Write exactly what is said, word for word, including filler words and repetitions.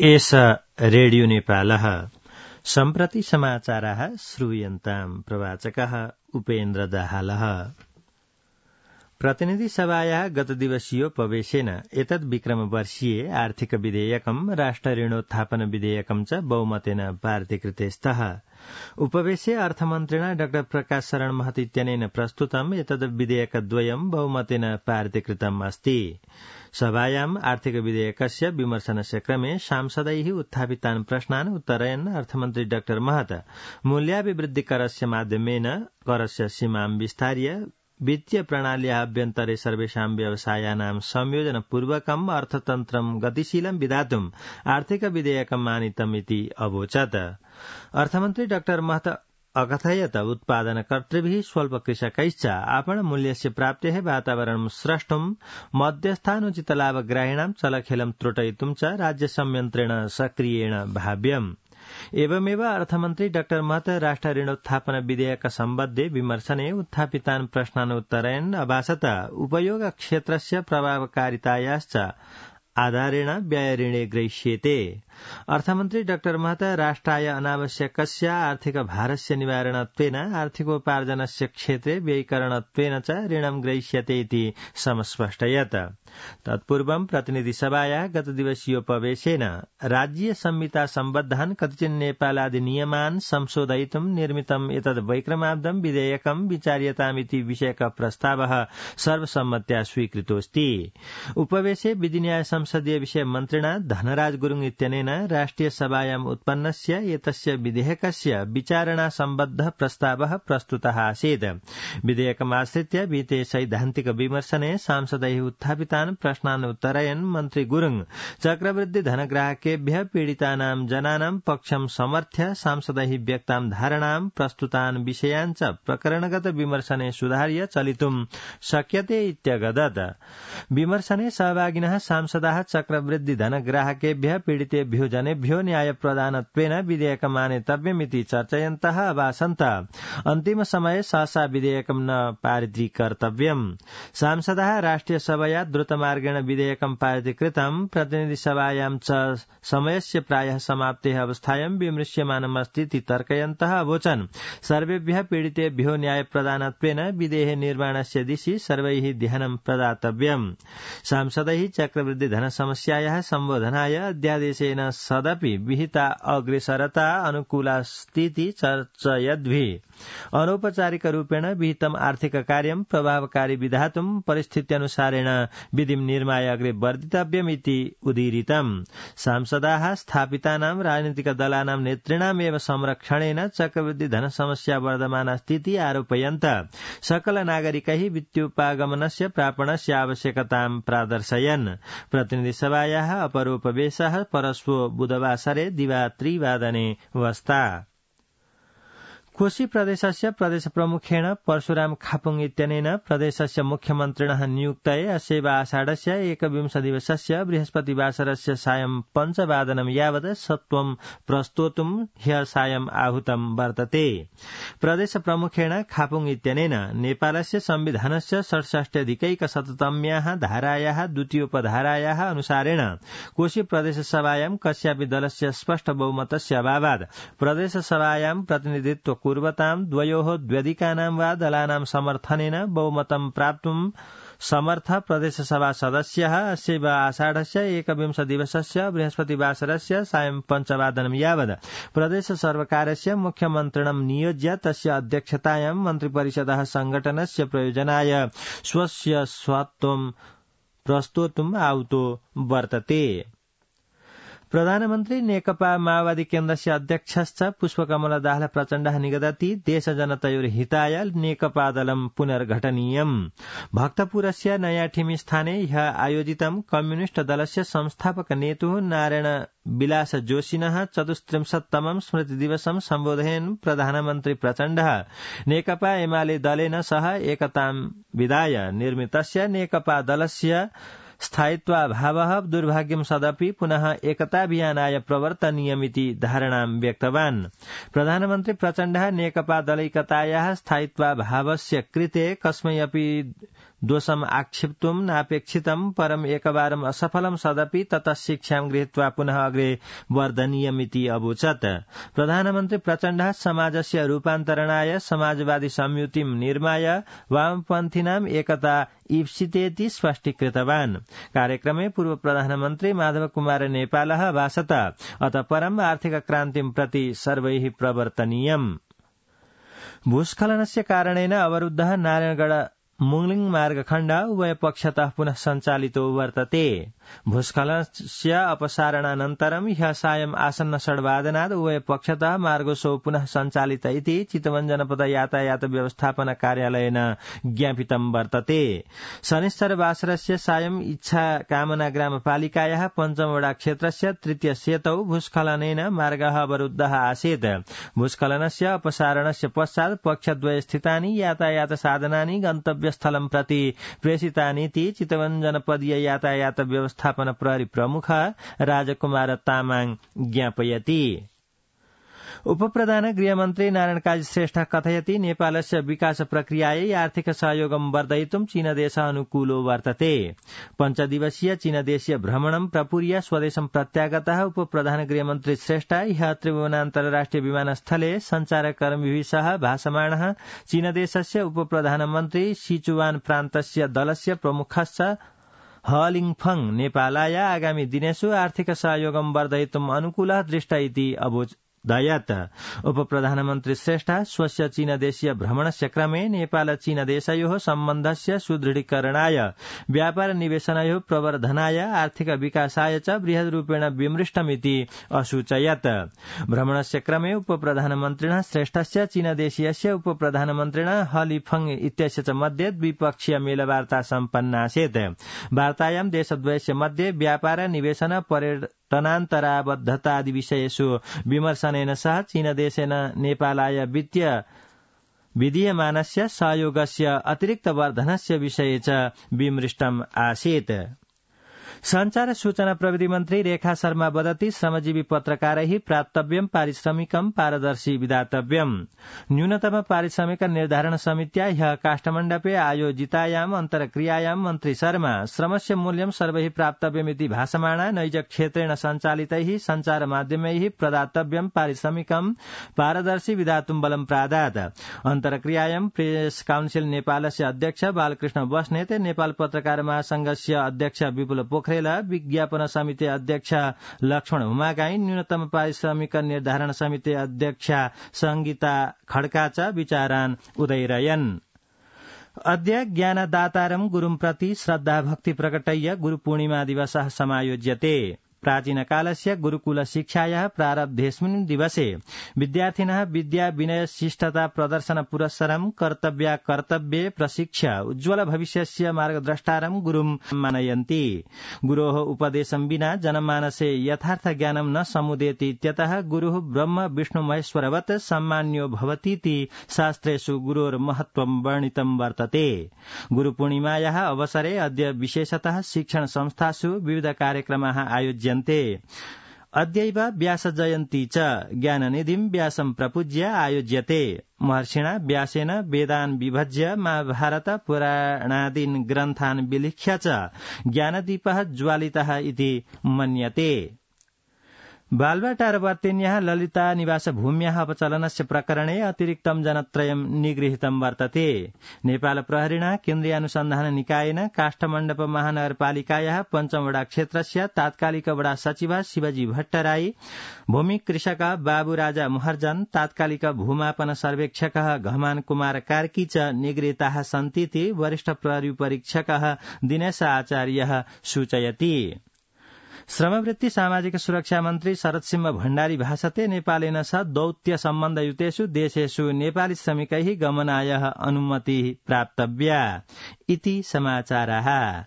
एष रेडियो नेपालः सम्प्रति समाचाराः श्रूयन्ताम् प्रवाचकः उपेन्द्र दाहालः। प्रतिनिधि सभायाः गतदिवसीयोपवेशेन एतद् विक्रमवर्षीये आर्थिक विधेयकम् राष्ट्र ऋणोत्थापन विधेयकम् च बहुमतेन पारितीकृते स्तः। उपवेशे अर्थमन्त्रिणा डाक्टर प्रकाश शरण महत इत्यनेन प्रस्तुतम् एतद् विधेयकद्वयम् बहुमतेन पारितीकृतम् अस्ति। सभायाम् आर्थिक विधेयकस्य विमर्शनस्य क्रमे सांसदैः उत्थापितान् प्रश्नान् उत्तरयन् अर्थमन्त्री डाक्टर महत मूल्याभिवृद्धिकरस्य माध्यमेन करस्य सीमां विस्तार्य वित्तीय प्रणाल्याः अभ्यन्तरे सर्वेषां व्यवसायानां संयोजनपूर्वकम् अर्थतन्त्रं गतिशीलं विधातुम् आर्थिक विधेयकम् आनीतम् इति अवोचत्। अर्थमन्त्री डाक्टर महत अकथयत् उत्पादनकर्तृभिः स्वल्पकृषकैश्च आपणमूल्यस्य प्राप्तेः वातावरणं स्रष्टुम् मध्यस्थानुचितलाभग्राहिणां चलखेलं त्रुटयितुं च राज्यसंयन्त्रेण सक्रियेण भाव्यम्। एवमेव अर्थमन्त्री डाक्टर महत राष्ट्र ऋणोत्थापन विधेयक सम्बद्धे विमर्शने उत्थापितान् प्रश्नान् उत्तरयन् अभासत उपयोग क्षेत्रस्य प्रभावकारितायाश्च आधारेण व्ययऋणे ग्रहीष्येते। अर्थमन्त्री डाक्टर महत राष्ट्राय अनावश्यकस्य आर्थिक भारस्य निवारणत्वेन आर्थिकोपार्जनस्य क्षेत्रे व्ययीकरणत्वेन च ऋणं ग्रहीष्यते इति समस्पष्टयत्। तत्पूर्वं प्रतिनिधिसभायाः गतदिवसीयोपवेशेन राज्य संहिता सम्बद्धान् कतिचन नेपालादिनियमान् संशोधयितुं निर्मितम् एतद् वैक्रमाब्दं विधेयकं विचार्यतामिति विषयक प्रस्तावः सर्वसम्मत्या स्वीकृतोऽस्ति। उपवेशे विधिन्याय संसदीय विषय मन्त्रिणा धनराज गुरुङ इत्यनेन राष्ट्रिय सभायाम् उत्पन्नस्य एतस्य विधेयकस्य विचारणा सम्बद्ध प्रस्तावः प्रस्तुतः आसीत्। विधेयकमाश्रित्य विहिते सैद्धान्तिक विमर्शने सांसदैः उत्थापितान् प्रश्नान् उत्तरयन् मन्त्री गुरुङ चक्रवृद्धि धनग्राहकेभ्यः पीडितानां जनानां पक्षं समर्थ्य सांसदैः व्यक्तां धारणां प्रस्तुतान् विषयान् च प्रकरणगत विमर्शने सुधार्य चलितुं शक्यते इत्यगदत्। विमर्शने सहभागिनः सांसदाः चक्रवृद्धि धनग्राहकेभ्यः पीडितेभ्यो जनेभ्यो न्यायप्रदानत्वेन विधेयकम् आनेतव्यमिति चर्चयन्तः अभासन्त। अन्तिम समये सहसा विधेयकम् न पारितीकर्तव्यम्। सांसदाः राष्ट्रिय सभया द्रुतमार्गेण विधेयकम् पारितीकृतम् प्रतिनिधिसभायां च समयस्य प्रायः समाप्तेः अवस्थायां विमृश्यमानमस्ति इति तर्कयन्तः अवोचन् सर्वेभ्यः पीडितेभ्यो न्यायप्रदानत्वेन विधेः निर्माणस्य दिशि सर्वैः ध्यानं प्रदातव्यम्। सांसदैः चक्रवृद्धि धन समस्यायाः सम्बोधनाय अध्यादेशेन सदपि विहिता अग्रेसरता अनुकूला स्थिति चर्चयद्भिः अनौपचारिकरूपेण विहितम् आर्थिक कार्यं प्रभावकारी विधातुं परिस्थित्यनुसारेण विधिं निर्माय अग्रे वर्धितव्यमिति उदीरितम्। सांसदाः स्थापितानां राजनीतिकदलानां नेतॄणामेव संरक्षणेन चक्रवृद्धि धन समस्या वर्धमाना स्थिति आरोपयन्त सकल नागरिकैः वित्तोपागमनस्य प्रापणस्य आवश्यकतां प्रादर्शयन्। प्रतिनिधिसभायाः अपरोपवेशः परश्वो बुधवासरे दिवा त्रिवादने वस्ता। कोशी प्रदेशस्य प्रदेश प्रमुखेण परशुराम खापुङ इत्यनेन प्रदेशस्य मुख्यमन्त्रिणः नियुक्तये अस्यैव आषाढस्य एकविंशदिवसस्य बृहस्पतिवासरस्य सायं पञ्चवादनं यावत् सत्वं प्रस्तोतुं ह्यः सायं आहूतं वर्तते। प्रदेश प्रमुखेण खापुङ इत्यनेन नेपालस्य संविधानस्य षट्षष्ट्यधिकैकशततम्याः धारायाः द्वितीयोपधारायाः अनुसारेण कोशी प्रदेशसभायां कस्यापि दलस्य स्पष्ट बहुमतस्य अभावात् प्रदेशसभायां प्रतिनिधित्व कुर्वतां द्वयोः द्व्यधिकानां वा दलानां समर्थनेन बहुमतं प्राप्तुं समर्थ प्रदेशसभा सदस्यः अस्यैव आषाढस्य एकविंशदिवसस्य बृहस्पतिवासरस्य सायं पञ्चवादनं यावत् प्रदेश सर्वकारस्य मुख्यमन्त्रिणं नियोज्य तस्य अध्यक्षतायां मन्त्रिपरिषदः संघटनस्य प्रयोजनाय स्वस्य स्वत्वं प्रस्तोतुम् आहुतो वर्तते। प्रधानमन्त्री नेकपा माओवादी केन्द्रस्य अध्यक्षश्च पुष्पकमल दाहाल प्रचण्डः निगदति देशजनतयोर्हिताय नेकपा दलं पुनर्घटनीयम्। भक्तपुरस्य नयाठिमी स्थाने ह्यः आयोजितं कम्युनिष्ट दलस्य संस्थापक नेतुः नारायण विलास जोशिनः चतुस्त्रिंशत्तमं स्मृतिदिवसं सम्बोधयन् प्रधानमन्त्री प्रचण्डः नेकपा एमाले दलेन सह एकतां विधाय निर्मितस्य नेकपा दलस्य स्थायित्वाभावः दुर्भाग्यं सदपि पुनः एकताभियानाय प्रवर्तनीयमिति धारणां व्यक्तवान्। प्रधानमन्त्री प्रचण्डः नेकपा दलैकतायाः स्थायित्वाभावस्य कृते कस्मै अपि दोषम् आक्षिप्तुम् नापेक्षितम् परम् एकवारम् असफलम् सदपि ततः शिक्षाम् गृहीत्वा पुनः अग्रे वर्धनीयमिति अवोचत्। प्रधानमन्त्री प्रचण्डः समाजस्य रूपान्तरणाय समाजवादी संयुतिम् निर्माय वामपन्थीनाम् एकता ईप्सितेति स्पष्टीकृतवान्। कार्यक्रमे पूर्व प्रधानमन्त्री माधव कुमार नेपालः भाषत अतः परम् आर्थिक क्रान्तिम् प्रति सर्वैः प्रवर्तनीयम्। भूस्खलनस्य कारणेन अवरुद्धः नारायणगढ मुङलिङ मार्गखण्ड उभय पक्षतः पुनः सञ्चालितो वर्तते। भूस्खलनस्य अपसारणानन्तरं ह्यः सायम् आसन्न षड्वादनात् उभय पक्षतः मार्गोत्सव पुनः सञ्चालित इति चितवन जनपद यातायात व्यवस्थापन कार्यालयेन ज्ञापितं वर्तते। शनिश्चरवासरस्य सायम् इच्छा कामना ग्रामपालिकायाः पञ्चमवडा क्षेत्रस्य तृतीय सेतौ भूस्खलनेन मार्गः अवरुद्धः आसीत्। भूस्खलनस्य अपसारणस्य पश्चात् पक्षद्वये स्थितानि यातायात साधनानि गन्तव्यस्थलं प्रति प्रेषितानीति चितवन जनपदीय यातायात व्यवस्थापन प्रहरी प्रमुख राजकुमार तामाङ ज्ञापयति। उपप्रधान गृहमन्त्री नारायण काजी श्रेष्ठ कथयति नेपालस्य विकास प्रक्रियायै आर्थिक सहयोगं वर्धयितुं चीनदेशः अनुकूलो वर्तते। पञ्चदिवसीय चीनदेशीय भ्रमणं प्रपूर्य स्वदेशं प्रत्यागतः उपप्रधान गृहमन्त्री श्रेष्ठ ह्यः त्रिभुवन अन्तर्राष्ट्रिय विमानस्थले सञ्चारकर्मिभिः सह भाषमाणः चीनदेशस्य उपप्रधानमन्त्री सिचुवान प्रान्तस्य दलस्य प्रमुखश्च हलिङफङ नेपालाय आगामी दिनेषु आर्थिक सहयोगं वर्धयितुम् अनुकूलः दृष्ट इति अवोचत्। उपप्रधानमन्त्री श्रेष्ठ स्वस्य चीनदेशीय भ्रमणस्य क्रमे नेपाल चीनदेशयोः सम्बन्धस्य सुदृढीकरणाय व्यापार निवेशनयोः प्रवर्धनाय आर्थिक विकासाय च बृहद्रूपेण विमृष्टमिति असूचयत्। भ्रमणस्य क्रमे उपप्रधानमन्त्रिणः श्रेष्ठस्य चीनदेशीयस्य उपप्रधानमन्त्रिणः हलिफङ इत्यस्य च मध्ये द्विपक्षीय मेलवार्ता सम्पन्नासीत्। वार्तायां देशद्वयस्य मध्ये व्यापार निवेशन पर्यटनान्तराबद्धतादि विषयेषु विमर्शनेन सह चीनदेशेन नेपालाय वित्तीय विधीयमानस्य सहयोगस्य अतिरिक्त वर्धनस्य विषये च विमृष्टम् आसीत्। संचार सूचना प्रविधि मन्त्री रेखा शर्मा वदति श्रमजीवी पत्रकारैः प्राप्तव्यं पारिश्रमिकं पारदर्शी विधातव्यम्। न्यूनतम पारिश्रमिक निर्धारण समित्या ह्यः काष्ठमण्डपे आयोजितायाम् अन्तर्क्रियायां मन्त्री शर्मा श्रमस्य मूल्यं सर्वैः प्राप्तव्यमिति भाषमाणा नैज क्षेत्रेण सञ्चालितैः सञ्चार माध्यमैः प्रदातव्यं पारिश्रमिकं पारदर्शी विधातुं बलं प्रादात्। अन्तर्क्रियायां प्रेस काउन्सिल नेपालस्य अध्यक्ष बालकृष्ण बस्नेत, नेपाल पत्रकार महासंघस्य अध्यक्ष विपुल पोखरेल, विज्ञापन समिति अध्यक्ष लक्ष्मण हुमागाई, न्यूनतम पारिश्रमिक निर्धारण समिति अध्यक्ष संगीता खड्का च विचारान् उदैरयन्। अद्य ज्ञानदातारं गुरुं प्रति श्रद्धा भक्ति प्रकटय्य गुरुपूर्णिमा दिवसः समायोज्यते। प्राचीनकालस्य गुरुकुल शिक्षायाः प्रारब्धेऽस्मिन् दिवसे विद्यार्थिनः विद्या विनय शिष्टता प्रदर्शन पुरस्सरं कर्तव्या कर्तव्ये प्रशिक्ष्य उज्ज्वल भविष्यस्य मार्गद्रष्टारं गुरुं मानयन्ति। गुरोः उपदेशं विना जनमानसे यथार्थ ज्ञानं न समुदेति इत्यतः गुरुः ब्रह्म विष्णु महेश्वरवत् सम्मान्यो भवतीति शास्त्रेषु गुरोर्महत्त्वं वर्णितं वर्तते। गुरुपूर्णिमायाः अवसरे अद्य विशेषतः शिक्षण संस्थासु विविध कार्यक्रमाः आयोज्यन्ते। अद्यैव व्यास जयन्ती च ज्ञाननिधिं व्यासं प्रपूज्य आयोज्यते। महर्षिणा व्यासेन वेदान् विभज्य महाभारत पुराणादीन् ग्रन्थान् विलिख्य च ज्ञानदीपः ज्वालितः इति मन्यते। बालवाटारवर्तिन्याः ललिता निवास भूम्याः अपचलनस्य प्रकरणे अतिरिक्तं जनत्रयं निगृहीतं वर्तते। नेपाल प्रहरिणा केन्द्रीय अनुसन्धान निकायेन काष्ठमण्डप महानगरपालिकायाः पञ्चमवडा क्षेत्रस्य तात्कालिक वडा सचिव शिवजी भट्टराई, भूमि कृषक बाबुराजा महर्जन, तात्कालिक भूमापन सर्वेक्षकः घमान कुमार कार्की च निगृहीताः सन्तीति वरिष्ठ प्रहरी परीक्षकः दिनेश आचार्यः सूचयति। श्रमवृत्ति सामाजिक सुरक्षा मन्त्री शरद सिंह भण्डारी भाषते नेपालेन सह दौत्य सम्बन्धयुतेषु देशेषु नेपाली श्रमिकैः गमनाय अनुमतिः प्राप्तव्या इति समाचाराः।